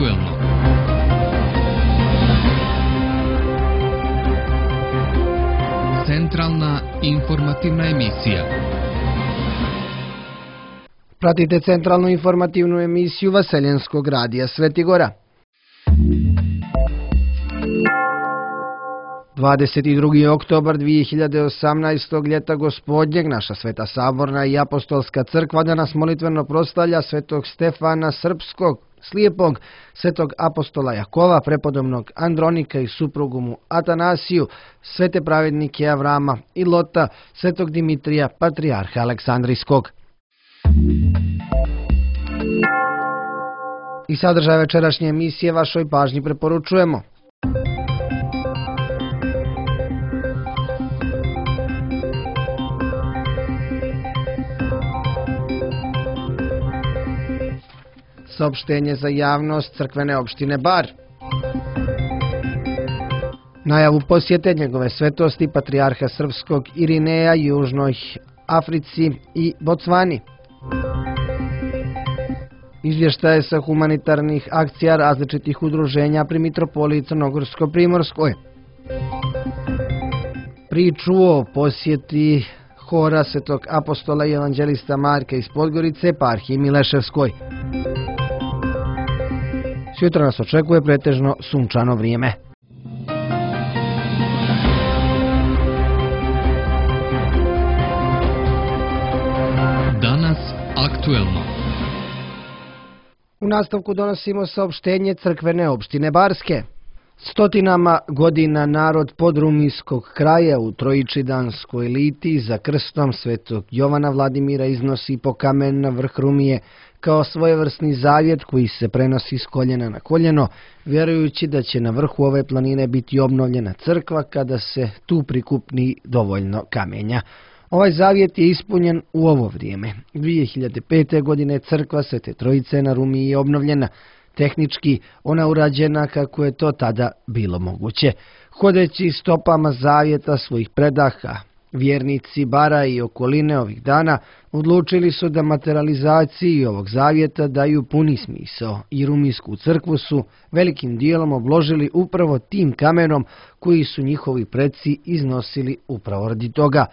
aktuelno. Centralna informativna emisija. Pratite centralnu informativnu emisiju Vaseljenskog radija Svetigora. 22. oktobar 2018. ljeta gospodnjeg, naša Sveta Saborna i Apostolska crkva danas molitveno proslavlja svetog Stefana Srpskog, slijepog, svetog apostola Jakova, prepodobnog Andronika i suprugu mu Atanasiju, svete pravednike Avrama i Lota, svetog Dimitrija, patrijarha Aleksandrijskog. I sadržaj večerašnje emisije vašoj pažnji preporučujemo. Saopštenje za javnost crkvene opštine Bar. Najavu posjete njegove svetosti patrijarha Srpskog Irineja Južnoj Africi i Bocvani. Izvještaje sa humanitarnih akcija različitih udruženja pri mitropoliji Crnogorsko-Primorskoj. Priču o posjeti hora svetog apostola i evanđelista Marka iz Podgorice eparhiji Mileševskoj. Sutra nas očekuje pretežno sunčano vrijeme. Danas aktuelno. U nastavku donosimo saopštenje crkvene opštine Barske. Stotinama godina narod podrumijskog kraja u Trojičidanskoj litiji za krstom svetog Jovana Vladimira iznosi po kamen na vrh Rumije kao svojevrsni zavjet koji se prenosi s koljena na koljeno, vjerujući da će na vrhu ove planine biti obnovljena crkva kada se tu prikupni dovoljno kamenja. Ovaj zavjet je ispunjen u ovo vrijeme. 2005. godine crkva Svete Trojice na Rumiji je obnovljena. Tehnički ona urađena kako je to tada bilo moguće. Hodeći stopama zavjeta svojih predaha, vjernici Bara i okoline ovih dana odlučili su da materializaciji ovog zavjeta daju puni smisao i Rumijsku crkvu su velikim dijelom obložili upravo tim kamenom koji su njihovi preci iznosili upravo radi toga.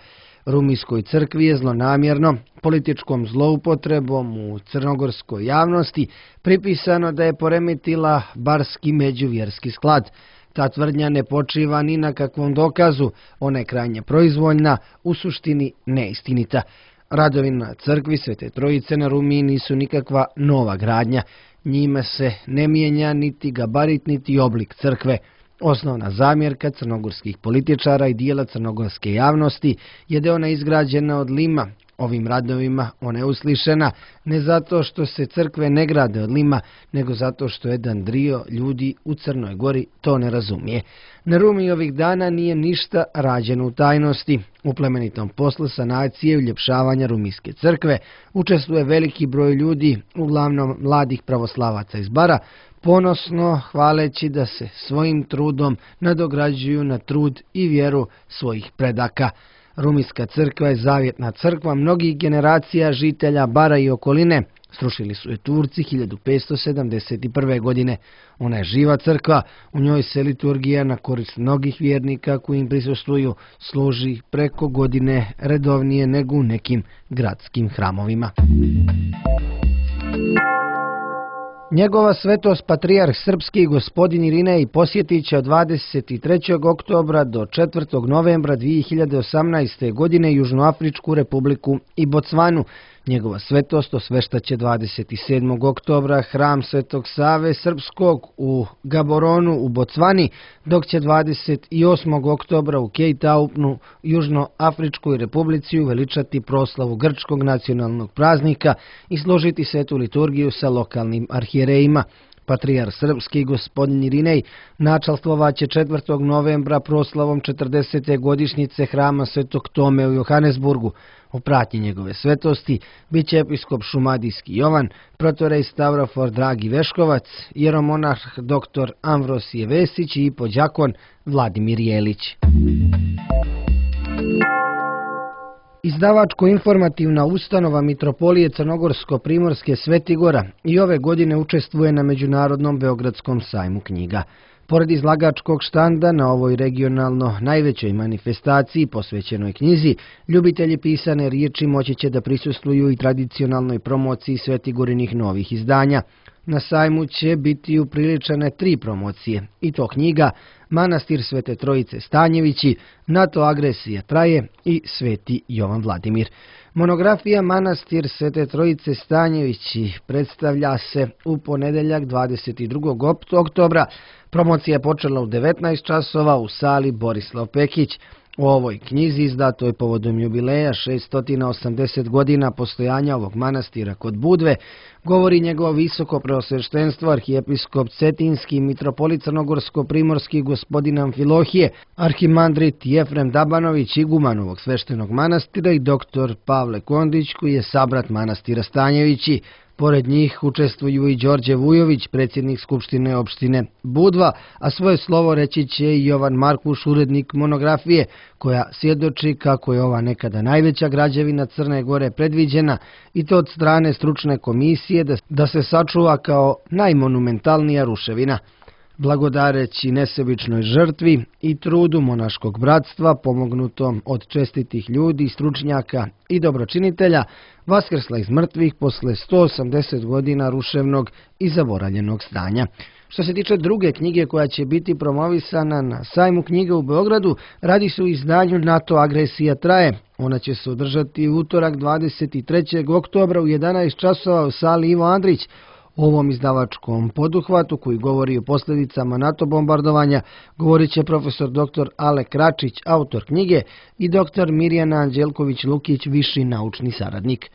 Rumijskoj crkvi je zlonamjerno, političkom zloupotrebom u crnogorskoj javnosti pripisano da je poremetila barski međuvjerski sklad. Ta tvrdnja ne počiva ni na kakvom dokazu, ona je krajnje proizvoljna, u suštini neistinita. Radovi na crkvi Svete Trojice na Rumiji nisu nikakva nova gradnja, njime se ne mijenja niti gabarit niti oblik crkve. Osnovna zamjerka crnogorskih političara i dijela crnogorske javnosti je da ona izgrađena od lima. Ovim radovima ona je uslišena ne zato što se crkve ne grade od lima, nego zato što jedan drio ljudi u Crnoj Gori to ne razumije. Na Rumiji ovih dana nije ništa rađeno u tajnosti. U plemenitom poslu sanacije i uljepšavanja Rumijske crkve učestvuje veliki broj ljudi, uglavnom mladih pravoslavaca iz Bara, ponosno hvaleći da se svojim trudom nadograđuju na trud i vjeru svojih predaka. Rumijska crkva je zavjetna crkva mnogih generacija žitelja Bara i okoline. Srušili su je Turci 1571. godine. Ona je živa crkva, u njoj se liturgija na korist mnogih vjernika koji im prisustvuju služi preko godine redovnije nego u nekim gradskim hramovima. Njegova svetost patrijarh Srpski gospodin Irinej posjetit će od 23. oktobra do 4. novembra 2018. godine Južnoafričku republiku i Bocvanu. Njegova svetost osveštaće 27. oktobra hram Svetog Save Srpskog u Gaboronu u Bocvani, dok će 28. oktobra u Cape Townu Južnoafričkoj republici uveličati proslavu grčkog nacionalnog praznika i složiti svetu liturgiju sa lokalnim arhijerejima. Patrijarh Srpski gospodin Irinej načalstvovaće 4. novembra proslavom 40. godišnjice hrama Svetog Tome u Johannesburgu. U pratnji njegove svetosti bit će episkop Šumadijski Jovan, protorej Stavrofor Dragi Veškovac, jeromonah dr. Amvrosije Vesić i podjakon Vladimir Jelić. Izdavačko-informativna ustanova Mitropolije Crnogorsko-Primorske Sveti Gora i ove godine učestvuje na Međunarodnom Beogradskom sajmu knjiga. Pored izlagačkog štanda na ovoj regionalno najvećoj manifestaciji posvećenoj knjizi, ljubitelji pisane riječi moći će da prisustvuju i tradicionalnoj promociji Svetigorinih novih izdanja. Na sajmu će biti upriličene 3 promocije, i to knjiga Manastir Svete Trojice Stanjevići, NATO agresija traje i Sveti Jovan Vladimir. Monografija Manastir Svete Trojice Stanjevići predstavlja se u ponedeljak 22. oktobra. Promocija je počela u 19 časova u sali Borislav Pekić. U ovoj knjizi, izdatoj povodom jubileja 680 godina postojanja ovog manastira kod Budve, govori njegovo visoko preosveštenstvo arhijepiskop Cetinski, mitropolit Crnogorsko-Primorski gospodin Amfilohije, arhimandrit Jefrem Dabanović, iguman ovog sveštenog manastira, i doktor Pavle Kondić, koji je sabrat manastira Stanjevići. Pored njih učestvuju i Đorđe Vujović, predsjednik Skupštine opštine Budva, a svoje slovo reći će i Jovan Markuš, urednik monografije, koja svjedoči kako je ova nekada najveća građevina Crne Gore predviđena, i to od strane stručne komisije da se sačuva kao najmonumentalnija ruševina. Blagodareći nesebičnoj žrtvi i trudu monaškog bratstva, pomognutom od čestitih ljudi, stručnjaka i dobročinitelja, vaskrsla iz mrtvih posle 180 godina ruševnog i zaboravljenog stanja. Što se tiče druge knjige koja će biti promovisana na sajmu knjiga u Beogradu, radi se o izdanju NATO agresija traje. Ona će se održati u utorak 23. oktobra u 11 časova u sali Ivo Andrić. O ovom izdavačkom poduhvatu koji govori o posljedicama NATO bombardovanja govorit će profesor dr. Ale Kračić, autor knjige, i dr. Mirjana Anđelković-Lukić, viši naučni saradnik.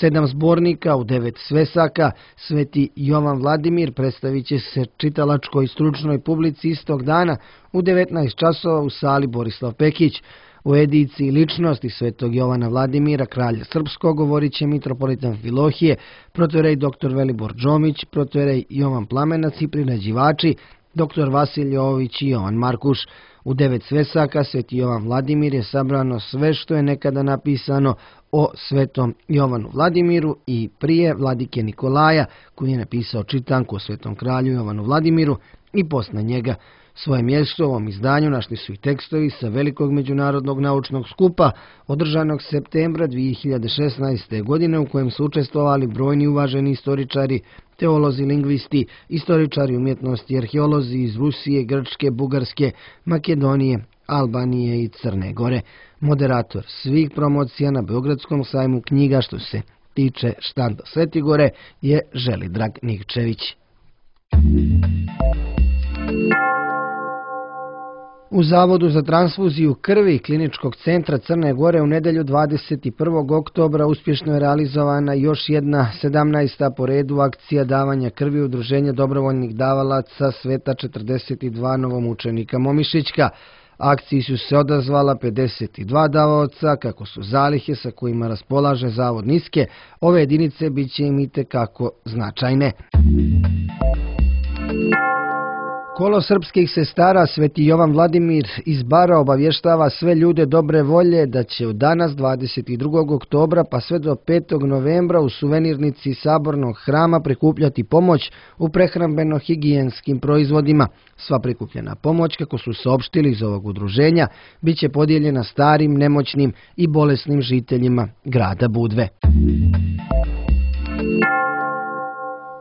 7 zbornika u 9 svesaka Sveti Jovan Vladimir predstavit će se čitalačkoj stručnoj publici istog dana u 19 časova u sali Borislav Pekić. U ediciji Ličnosti Svetog Jovana Vladimira, kralja srpskog, govorit će mitropolit Amfilohije, protorej dr. Velibor Džomić, protorej Jovan Plamenac i priređivači dr. Vasilij Jovović i Jovan Markuš. U 9 svesaka Sveti Jovan Vladimir je sabrano sve što je nekada napisano o Svetom Jovanu Vladimiru i prije vladike Nikolaja, koji je napisao čitanku o Svetom kralju Jovanu Vladimiru, i posle njega. Svoje mjesto u ovom izdanju našli su i tekstovi sa velikog međunarodnog naučnog skupa održanog septembra 2016. godine, u kojem su učestvovali brojni uvaženi istoričari, teolozi, lingvisti, istoričari umjetnosti i arheolozi iz Rusije, Grčke, Bugarske, Makedonije, Albanije i Crne Gore. Moderator svih promocija na Beogradskom sajmu knjiga što se tiče štanda Svetigore je Želidrag Nikčević. U Zavodu za transfuziju krvi Kliničkog centra Crne Gore u nedelju 21. oktobra uspješno je realizovana još jedna 17. po redu akcija davanja krvi Udruženja dobrovoljnih davalaca Sveta 42 novomučenika Momišićka. Akciji su se odazvala 52 davaoca. Kako su zalihe sa kojima raspolaže Zavod niske, ove jedinice bit će im itekako značajne. Kolo srpskih sestara Sveti Jovan Vladimir iz Bara obavještava sve ljude dobre volje da će od danas 22. oktobra pa sve do 5. novembra u suvenirnici Sabornog hrama prikupljati pomoć u prehrambeno-higijenskim proizvodima. Sva prikupljena pomoć, kako su saopštili iz ovog udruženja, bit će podijeljena starim, nemoćnim i bolesnim žiteljima grada Budve.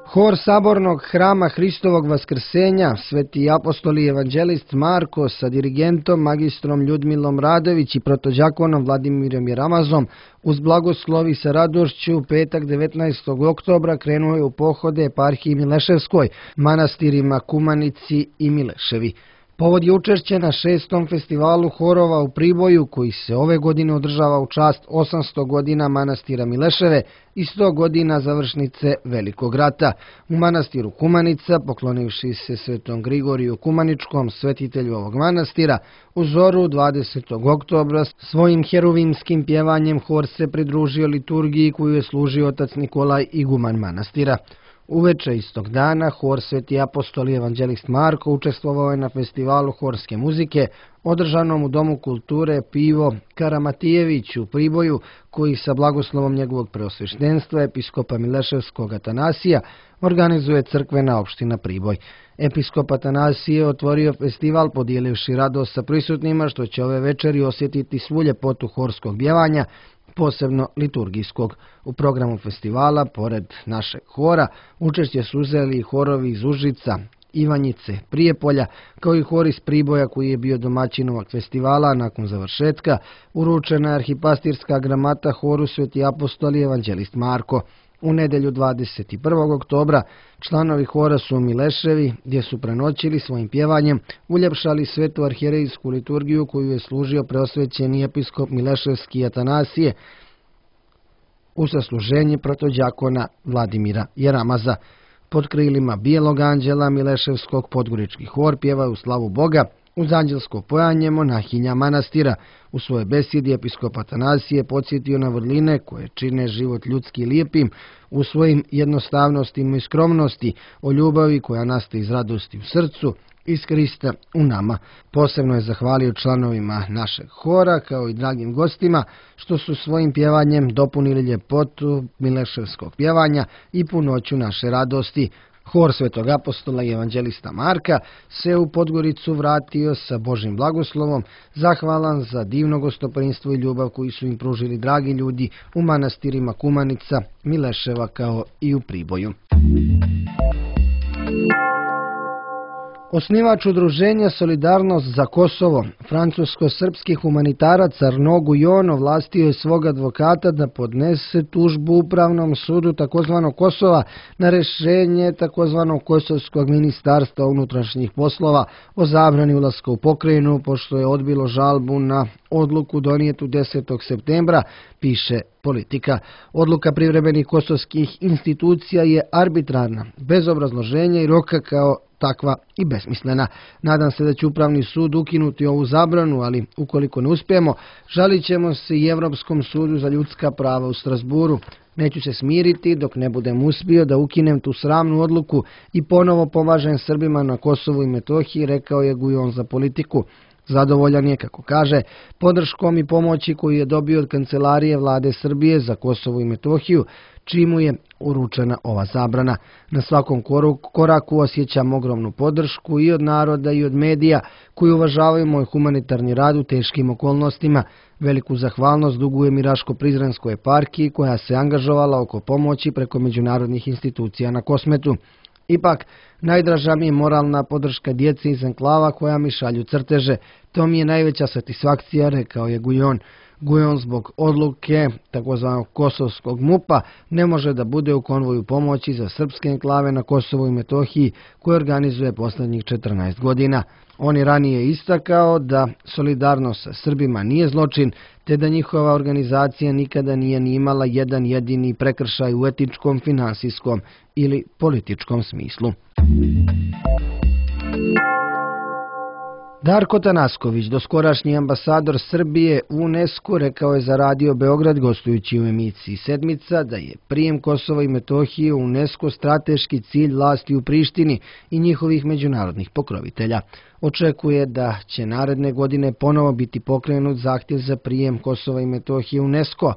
Hor Sabornog hrama Hristovog Vaskrsenja, Sveti apostol i evanđelist Marko sa dirigentom magistrom Ljudmilom Radović i protođakonom Vladimirom Jeramazom uz blagoslovi sa radošću u petak 19. oktobra krenuo je u pohode eparhiji Mileševskoj, manastirima Kumanici i Mileševi. Povod je učešće na 6. festivalu horova u Priboju, koji se ove godine održava u čast 800 godina manastira Mileševe i 100 godina završnice Velikog rata. U manastiru Kumanica, poklonivši se Svetom Grigoriju Kumaničkom, svetitelju ovog manastira, u zoru 20. oktobra svojim heruvimskim pjevanjem hor se pridružio liturgiji koju je služio otac Nikolaj, iguman manastira. Uveče istog dana hor Sveti apostol i evanđelist Marko učestvovao je na festivalu horske muzike održanom u Domu kulture Pivo Karamatijević u Priboju, koji sa blagoslovom njegovog preosveštenstva episkopa Mileševskog Atanasija organizuje crkvena opština Priboj. Episkop Atanasije je otvorio festival podijelivši radost sa prisutnima što će ove večeri osjetiti svu ljepotu horskog pjevanja, posebno liturgijskog. U programu festivala, pored našeg hora, učešće su uzeli i horovi iz Užica, Ivanjice, Prijepolja, kao i hor iz Priboja koji je bio domaćin ovog festivala. Nakon završetka uručena je arhipastirska gramata horu Sveti apostol i evanđelist Marko. U nedelju 21. oktobra članovi hora su u Mileševi, gdje su prenoćili svojim pjevanjem, uljepšali svetu arhijerejsku liturgiju koju je služio preosvećeni episkop Mileševski Atanasije u sasluženje protođakona Vladimira Jeramaza. Pod krilima Bijelog anđela Mileševskog podgorički hor pjeva u slavu Boga uz anđelsko pojanje monahinja manastira. U svojoj besjedi episkop Atanasije podsjetio na vrline koje čine život ljudski lijepim u svojim jednostavnostima i skromnosti, o ljubavi koja nastaje iz radosti u srcu, iz Krista u nama. Posebno je zahvalio članovima našeg hora kao i dragim gostima što su svojim pjevanjem dopunili ljepotu mileševskog pjevanja i punoću naše radosti. Hor Svetog apostola i evanđelista Marka se u Podgoricu vratio sa Božim blagoslovom, zahvalan za divno gostoprinstvo i ljubav koju su im pružili dragi ljudi u manastirima Kumanica, Mileševa kao i u Priboju. Osnivač udruženja Solidarnost za Kosovo, francusko-srpski humanitarac Arnaud Guyon, ovlastio je svog advokata da podnese tužbu Upravnom sudu tzv. Kosova na rješenje tzv. Kosovskog ministarstva unutrašnjih poslova o zabrani ulaska u pokrajinu, pošto je odbilo žalbu na odluku donijetu 10. septembra, piše Politika. Odluka privremenih kosovskih institucija je arbitrarna, bez obrazloženja i roka, kao takva i besmislena. Nadam se da će Upravni sud ukinuti ovu zabranu, ali ukoliko ne uspijemo, žalit ćemo se i Europskom sudu za ljudska prava u Strasburu. Neću se smiriti dok ne budem uspio da ukinem tu sramnu odluku i ponovo pomažem Srbima na Kosovu i Metohiji, rekao je Guyon za Politiku. Zadovoljan je, kako kaže, podrškom i pomoći koju je dobio od Kancelarije Vlade Srbije za Kosovo i Metohiju, čimu je uručena ova zabrana. Na svakom koraku osjećam ogromnu podršku i od naroda i od medija koji uvažavaju moj humanitarni rad u teškim okolnostima. Veliku zahvalnost dugujem i Raško-Prizrenskoj eparhiji koja se angažovala oko pomoći preko međunarodnih institucija na Kosmetu. Ipak, najdraža mi je moralna podrška djece iz enklava koja mi šalju crteže. To mi je najveća satisfakcija, rekao je Guyon. Guyon zbog odluke tzv. Kosovskog MUP-a ne može da bude u konvoju pomoći za srpske enklave na Kosovu i Metohiji koje organizuje posljednjih 14 godina. On je ranije istakao da solidarnost sa Srbima nije zločin, te da njihova organizacija nikada nije ni imala jedan jedini prekršaj u etičkom, finansijskom ili političkom smislu. Darko Tanasković, doskorašnji ambasador Srbije u UNESCO, rekao je za Radio Beograd gostujući u emisiji Sedmica da je prijem Kosova i Metohije u UNESCO strateški cilj vlasti u Prištini i njihovih međunarodnih pokrovitelja. Očekuje da će naredne godine ponovo biti pokrenut zahtjev za prijem Kosova i Metohije u UNESCO.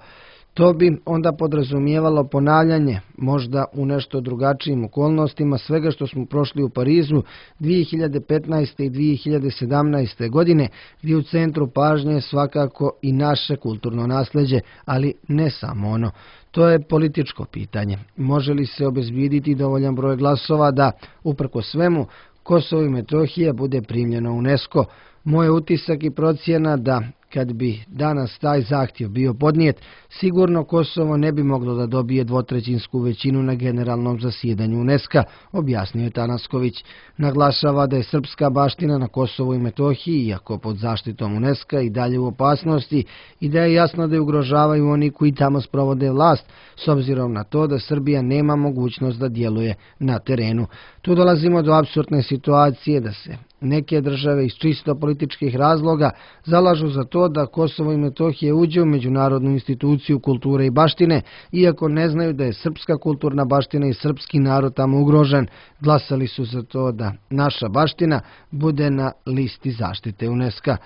To bi onda podrazumijevalo ponavljanje, možda u nešto drugačijim okolnostima, svega što smo prošli u Parizu 2015. i 2017. godine, gdje u centru pažnje je svakako i naše kulturno nasljeđe, ali ne samo ono. To je političko pitanje. Može li se obezbjediti dovoljan broj glasova da, uprkos svemu, Kosovo i Metohija bude primljeno u UNESCO? Moj utisak i procjena da, kad bi danas taj zahtjev bio podnijet, sigurno Kosovo ne bi moglo da dobije dvotrećinsku većinu na generalnom zasjedanju UNESCO, objasnio je Tanasković. Naglašava da je srpska baština na Kosovu i Metohiji, iako pod zaštitom UNESCO, i dalje u opasnosti i da je jasno da je ugrožavaju oni koji tamo sprovode vlast, s obzirom na to da Srbija nema mogućnost da djeluje na terenu. Tu dolazimo do apsurdne situacije da se Neke države iz čisto političkih razloga zalažu za to da Kosovo i Metohija uđe u međunarodnu instituciju kulture i baštine, iako ne znaju da je srpska kulturna baština i srpski narod tamo ugrožen. Glasali su za to da naša baština bude na listi zaštite UNESCO-a.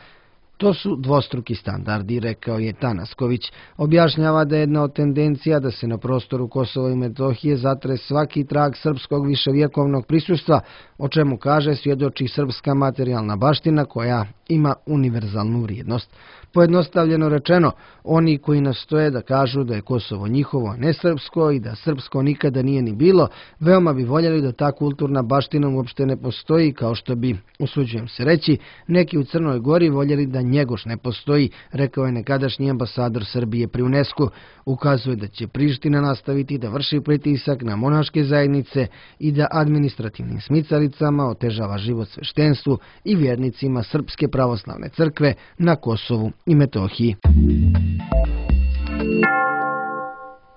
To su dvostruki standardi, rekao je Tanasković. Objašnjava da je jedna od tendencija da se na prostoru Kosova i Metohije zatre svaki trag srpskog viševjekovnog prisustva, o čemu kaže svjedoči srpska materijalna baština koja ima univerzalnu vrijednost. Pojednostavljeno rečeno, oni koji nastoje da kažu da je Kosovo njihovo, a ne srpsko i da srpsko nikada nije ni bilo, veoma bi voljeli da ta kulturna baština uopšte ne postoji, kao što bi, usuđujem se reći, neki u Crnoj Gori voljeli da Njegoš ne postoji, rekao je nekadašnji ambasador Srbije pri UNESCO. Ukazuje da će Priština nastaviti da vrši pritisak na monaške zajednice i da administrativnim smicalicama otežava život sveštenstvu i vjernicima Srpske pravoslavne crkve na Kosovu i Metohiji.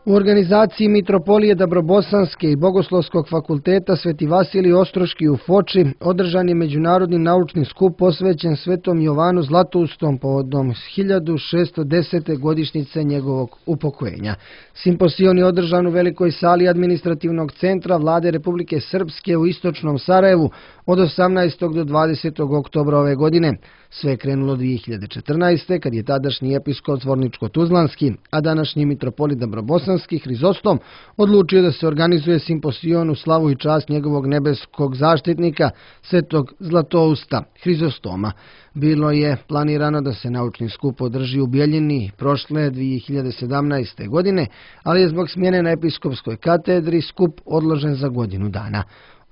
U organizaciji Mitropolije Dabrobosanske i Bogoslovskog fakulteta Sveti Vasilij Ostroški u Foči održan je međunarodni naučni skup posvećen Svetom Jovanu Zlatoustom povodom 1610. godišnjice njegovog upokojenja. Simposion je održan u velikoj sali administrativnog centra Vlade Republike Srpske u istočnom Sarajevu od 18. do 20. oktobra ove godine. Sve je krenulo 2014. kad je tadašnji episkop Zvorničko-Tuzlanski, a današnji mitropolit Dabrobosanski Hrizostom odlučio da se organizuje simposion u slavu i čast njegovog nebeskog zaštitnika, Svetog Zlatousta Hrizostoma. Bilo je planirano da se naučni skup održi u Bjeljini prošle 2017. godine, ali je zbog smjene na episkopskoj katedri skup odložen za godinu dana.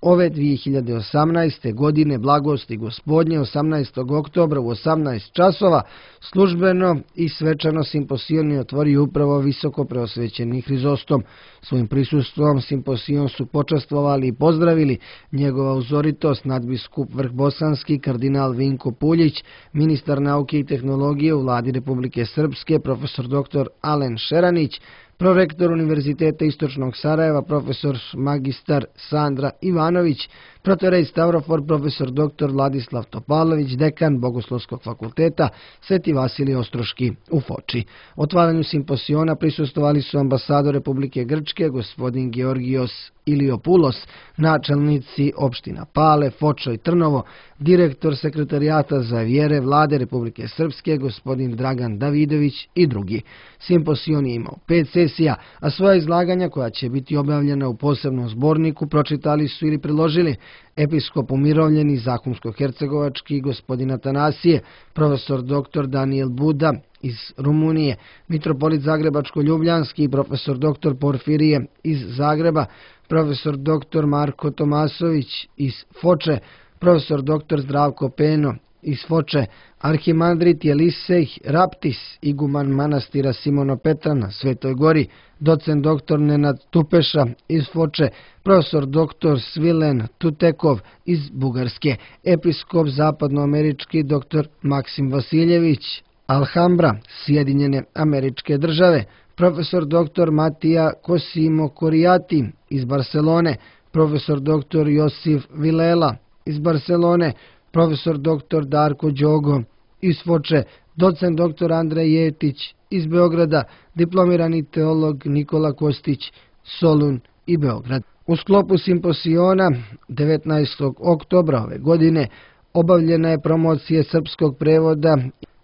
Ove 2018. godine blagosti Gospodnje 18. oktobra u 18 časova službeno i svečano simposion je otvorio upravo visoko preosvećeni Hrizostom. Svojim prisustvom simposion su počastvovali i pozdravili njegova uzoritost nadbiskup Vrhbosanski kardinal Vinko Puljić, ministar nauke i tehnologije u Vladi Republike Srpske profesor dr. Alen Šeranić, prorektor Univerziteta Istočnog Sarajeva, profesor magistar Sandra Ivanović, protorej Stavrofor, profesor dr. Vladislav Topalović, dekan Bogoslovskog fakulteta Sveti Vasilij Ostroški u Foči. Otvaranju simposiona prisustvovali su ambasador Republike Grčke, gospodin Georgios Iliopoulos, načelnici opština Pale, Foča i Trnovo, direktor sekretarijata za vjere Vlade Republike Srpske, gospodin Dragan Davidović i drugi. Simposion je imao 5 sesija, a svoja izlaganja koja će biti objavljena u posebnom zborniku pročitali su ili priložili episkop umirovljeni Zahumsko-Hercegovački gospodin Atanasije, profesor dr. Daniel Buda iz Rumunije, mitropolit Zagrebačko-Ljubljanski i profesor dr. Porfirije iz Zagreba, profesor dr. Marko Tomasović iz Foče, profesor dr. Zdravko Peno iz Foče, arhimandrit Jelisej Raptis, iguman manastira Simono Petra na Svetoj Gori, docent dr. Nenad Tupeša iz Foče, profesor dr. Svilen Tutekov iz Bugarske, episkop zapadnoamerički dr. Maksim Vasiljević Alhambra, Sjedinjene Američke Države, profesor dr. Matija Kosimo Korijati iz Barcelone, profesor dr. Josif Vilela iz Barcelone, profesor dr. Darko Đogo iz Foče, docent dr. Andrej Jetić iz Beograda, diplomirani teolog Nikola Kostić, Solun i Beograd. U sklopu simposiona 19. oktobra ove godine obavljena je promocija srpskog prevoda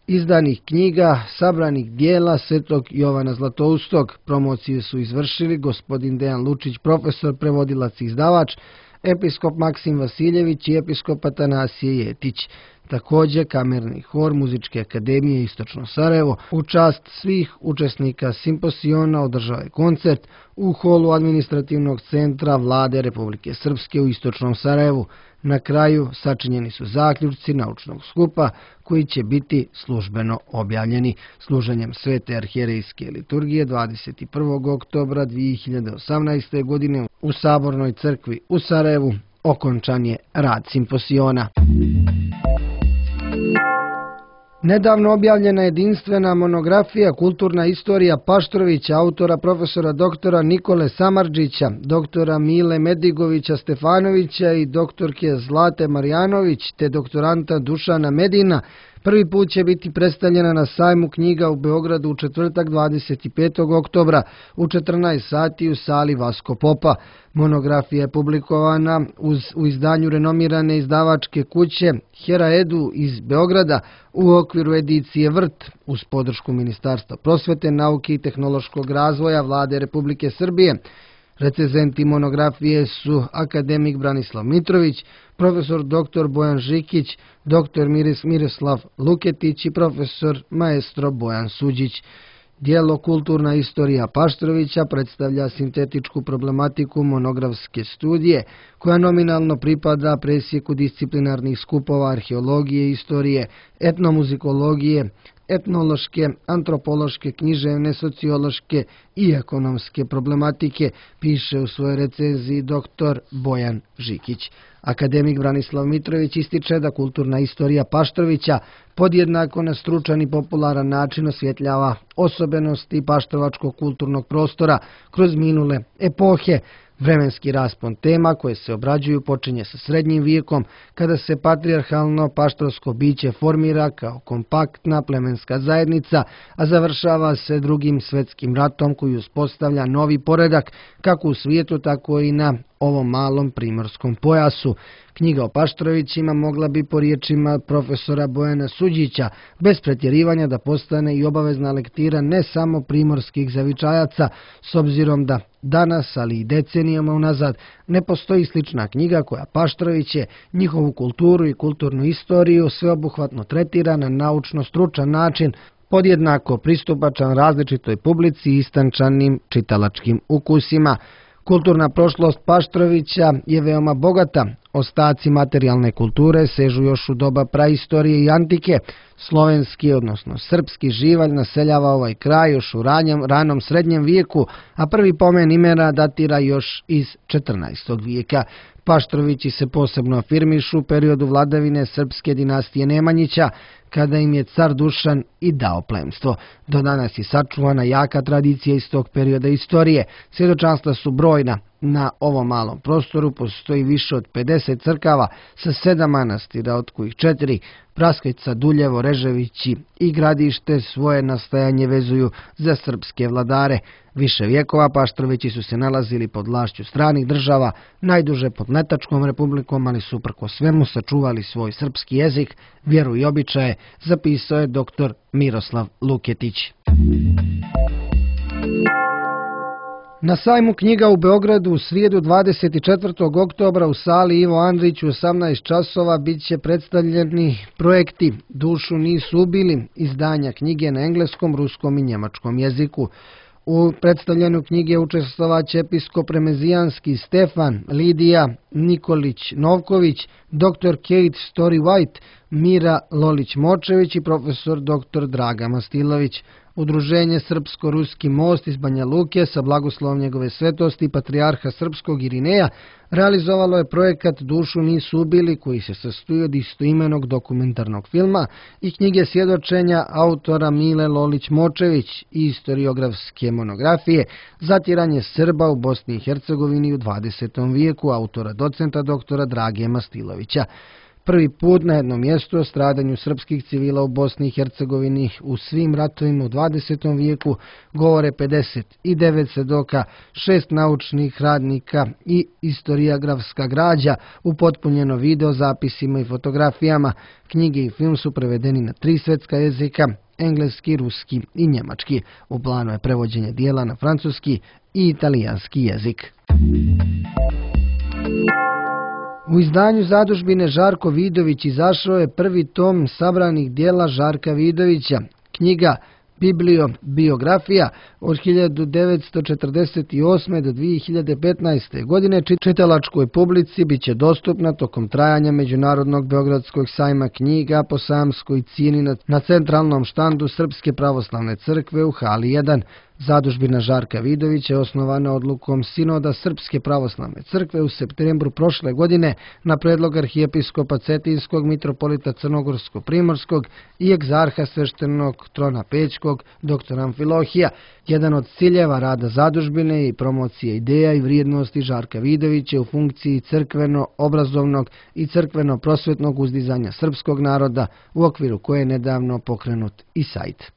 izdanih knjiga, sabranih dijela Svetog Jovana Zlatoustog. Promociju su izvršili gospodin Dejan Lučić, profesor, prevodilac i izdavač, episkop Maksim Vasiljević i episkop Atanasije Jetić. Također kamerni hor Muzičke akademije Istočno Sarajevo u čast svih učesnika simposiona održao je koncert u holu administrativnog centra Vlade Republike Srpske u Istočnom Sarajevu. Na kraju sačinjeni su zaključci naučnog skupa koji će biti službeno objavljeni. Služenjem Svete arhijerejske liturgije 21. oktobra 2018. godine u Sabornoj crkvi u Sarajevu okončan je rad simposiona. Nedavno objavljena jedinstvena monografija Kulturna istorija Paštrovića, autora profesora doktora Nikole Samardžića, doktora Mile Medigovića Stefanovića i doktorke Zlate Marjanović te doktoranta Dušana Medina, prvi put će biti predstavljena na sajmu knjiga u Beogradu u četvrtak 25. oktobra u 14 sati u sali Vasko Popa. Monografija je publikovana u izdanju renomirane izdavačke kuće Hera Edu iz Beograda u okviru edicije Vrt uz podršku Ministarstva prosvete, nauke i tehnološkog razvoja Vlade Republike Srbije. Recenzenti monografije su akademik Branislav Mitrović, profesor dr. Bojan Žikić, dr. Miroslav Luketić i profesor maestro Bojan Suđić. Dijelo Kulturna istorija Paštrovića predstavlja sintetičku problematiku monografske studije, koja nominalno pripada presjeku disciplinarnih skupova arheologije, istorije, etnomuzikologije, etnološke, antropološke, književne, sociološke i ekonomske problematike, piše u svojoj recenziji dr. Bojan Žikić. Akademik Branislav Mitrović ističe da kulturna istorija Paštrovića podjednako na stručan i popularan način osvjetljava osobenosti paštrovačkog kulturnog prostora kroz minule epohe. Vremenski raspon tema koje se obrađuju počinje sa srednjim vijekom, kada se patrijarhalno paštrovsko biće formira kao kompaktna plemenska zajednica, a završava se Drugim svjetskim ratom koji uspostavlja novi poredak kako u svijetu, tako i na ovom malom primorskom pojasu. Knjiga o Paštrovićima mogla bi po riječima profesora Bojana Suđića bez pretjerivanja da postane i obavezna lektira ne samo primorskih zavičajaca, s obzirom da danas, ali i decenijama unazad, ne postoji slična knjiga koja Paštroviće, njihovu kulturu i kulturnu istoriju sveobuhvatno tretira na naučno-stručan način, podjednako pristupačan različitoj publici i istančanim čitalačkim ukusima. Kulturna prošlost Paštrovića je veoma bogata. Ostaci materijalne kulture sežu još u doba praistorije i antike. Slovenski, odnosno srpski živalj naseljava ovaj kraj još u ranom srednjem vijeku, a prvi pomen imena datira još iz 14. vijeka. Paštrovići se posebno afirmišu u periodu vladavine srpske dinastije Nemanjića, kada im je car Dušan i dao plemstvo. Do danas je sačuvana jaka tradicija iz tog perioda istorije. Svjedočanstva su brojna. Na ovom malom prostoru postoji više od 50 crkava sa 7 manastira, od kojih 4 Praskvica, Duljevo, Reževići i Gradište svoje nastajanje vezuju za srpske vladare. Više vjekova Paštrovići su se nalazili pod vlašću stranih država, najduže pod Mletačkom republikom, ali su uprko svemu sačuvali svoj srpski jezik, vjeru i običaje, zapisao je dr. Miroslav Luketić. Na sajmu knjiga u Beogradu u srijedu 24. oktobra u sali Ivo Andrić u 18 časova bit će predstavljeni projekti Dušu nisu ubili, izdanja knjige na engleskom, ruskom i njemačkom jeziku. U predstavljanju knjige učestvovaće episkop remezijanski Stefan, Lidija Nikolić-Novković, dr. Kate Story White, Mira Lolić-Močević i profesor dr. Draga Mastilović. Udruženje Srpsko-Ruski most iz Banja Luke sa blagoslovom njegove svetosti patrijarha srpskog Irineja realizovalo je projekat Dušu nisu ubili, koji se sastoji od istoimenog dokumentarnog filma i knjige svjedočenja autora Mile Lolić-Močević i historiografske monografije Zatiranje Srba u Bosni i Hercegovini u 20. vijeku autora docenta doktora Drage Mastilovića. Prvi put na jednom mjestu o stradanju srpskih civila u Bosni i Hercegovini u svim ratovima u 20. vijeku govore 59 svedoka, 6 naučnih radnika i historiografska građa upotpunjeno video zapisima i fotografijama. Knjige i film su prevedeni na 3 svjetska jezika, engleski, ruski i njemački. U planu je prevođenje dijela na francuski i italijanski jezik. U izdanju zadužbine Žarko Vidović izašao je prvi tom sabranih dijela Žarka Vidovića, knjiga Bibliografija od 1948. do 2015. godine. Čitalačkoj publici bit će dostupna tokom trajanja Međunarodnog Beogradskog sajma knjiga po sajamskoj cijeni na centralnom štandu Srpske pravoslavne crkve u hali 1. Zadužbina Žarka Vidovića je osnovana odlukom Sinoda Srpske pravoslavne crkve u septembru prošle godine na predlog arhijepiskopa Cetinskog, mitropolita Crnogorsko-primorskog i egzarha sveštenog trona Pećkog, dr. Amfilohija. Jedan od ciljeva rada zadužbine je i promocija ideja i vrijednosti Žarka Vidovića u funkciji crkveno-obrazovnog i crkveno-prosvetnog uzdizanja srpskog naroda, u okviru koje je nedavno pokrenut i sajt.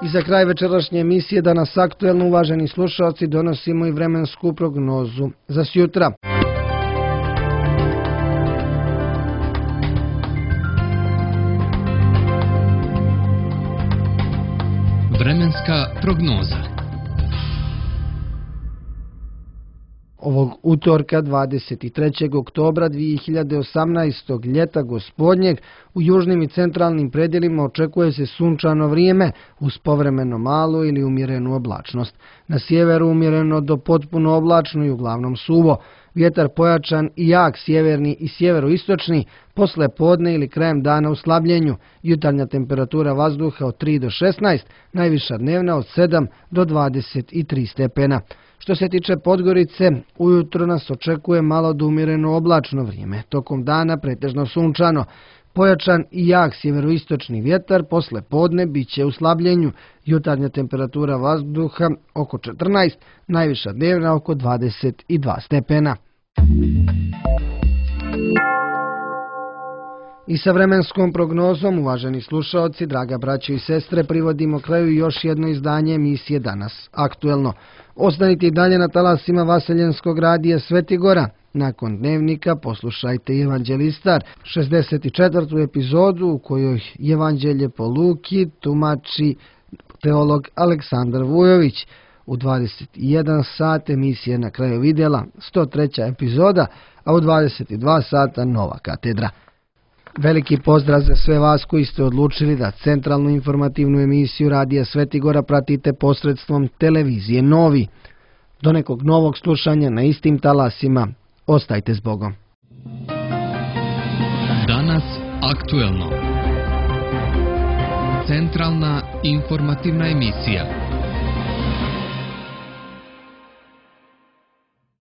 I za kraj večerašnje emisije Danas aktuelno, uvaženi slušalci, donosimo i vremensku prognozu za sjutra. Vremenska prognoza. Ovog utorka 23. oktobra 2018. ljeta gospodnjeg u južnim i centralnim predjelima očekuje se sunčano vrijeme uz povremeno malu ili umjerenu oblačnost. Na sjeveru umjereno do potpuno oblačno i uglavnom suvo. Vjetar pojačan i jak sjeverni i sjeveroistočni, posle podne ili krajem dana u slabljenju. Jutarnja temperatura vazduha od 3 do 16, najviša dnevna od 7 do 23 stepena. Što se tiče Podgorice, ujutro nas očekuje malo do umjereno oblačno vrijeme. Tokom dana pretežno sunčano. Pojačan i jak sjeveroistočni vjetar posle podne bit će u slabljenju. Jutarnja temperatura vazduha oko 14, najviša dnevna oko 22 stepena. I sa vremenskom prognozom, uvaženi slušaoci, draga braćo i sestre, privodimo kraju još jedno izdanje emisije Danas aktuelno. Ostanite i dalje na talasima Vaseljenskog radija Svetigora. Nakon dnevnika poslušajte Evanđelistar, 64. epizodu u kojoj Evanđelje po Luki tumači teolog Aleksandar Vujović. U 21 sat emisija Na kraju vidjela, 103. epizoda, a u 22 sata Nova katedra. Veliki pozdrav za sve vas koji ste odlučili da centralnu informativnu emisiju Radija Svetigora pratite posredstvom televizije Novi. Do nekog novog slušanja na istim talasima. Ostajte s Bogom. Danas aktuelno. Centralna informativna emisija.